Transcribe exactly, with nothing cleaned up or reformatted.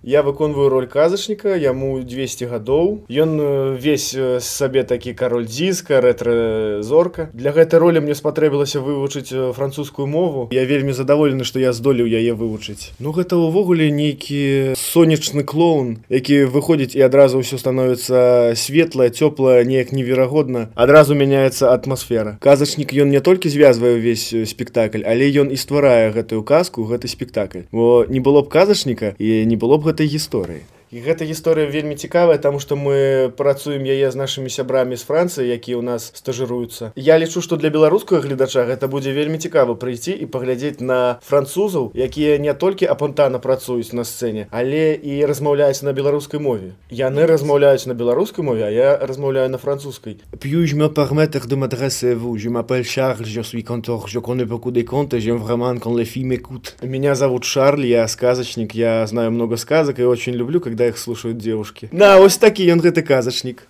Я выконваю роль казачніка, яму двесце гадоў. Ён весь сабе такі кароль дзіска, рэтра-зорка. Для гэтай ролі мне спатрэбілася вывучыць французскую мову. Я вельмі задаволены, што я здолеў яе вывучыць. Ну гэта ўвогуле нейкі сонечны клоун, які выходзіць і адразу ўсё становіцца светлае, цёплае, неяк неверагодна. Адразу мяняецца атмасфера. Казачнік ён не толькі звязвае ўвесь спектакль, але ён і стварае гэтую казку, гэты спектакль. Бо не было б казачніка і не было б гэтай гісторыі. І гэта гісторыя вельмі цікавая, таму што мы працуем яе з нашымі сябрамі з Францыі, якія ў нас стажыруюцца. Я лічу, што для беларускага гледача гэта будзе вельмі цікава прыйсці і паглядзець на французаў, якія не толькі апантана працуюць на сцэне, але і размаўляюць на беларускай мове. Яны размаўляюць на беларускай мове, а я размаўляю на французскай. Puis-je me permettre de m'adresser à vous? Je m'appelle Charles, je suis canteur, je connais beaucoup de contes et j'aime vraiment quand les filles m'écoutent. Меня зовут Шарль, я сказочник, я знаю много сказок и очень люблю, когда их слушают девушки. На, ось такі ён гэты казачнік.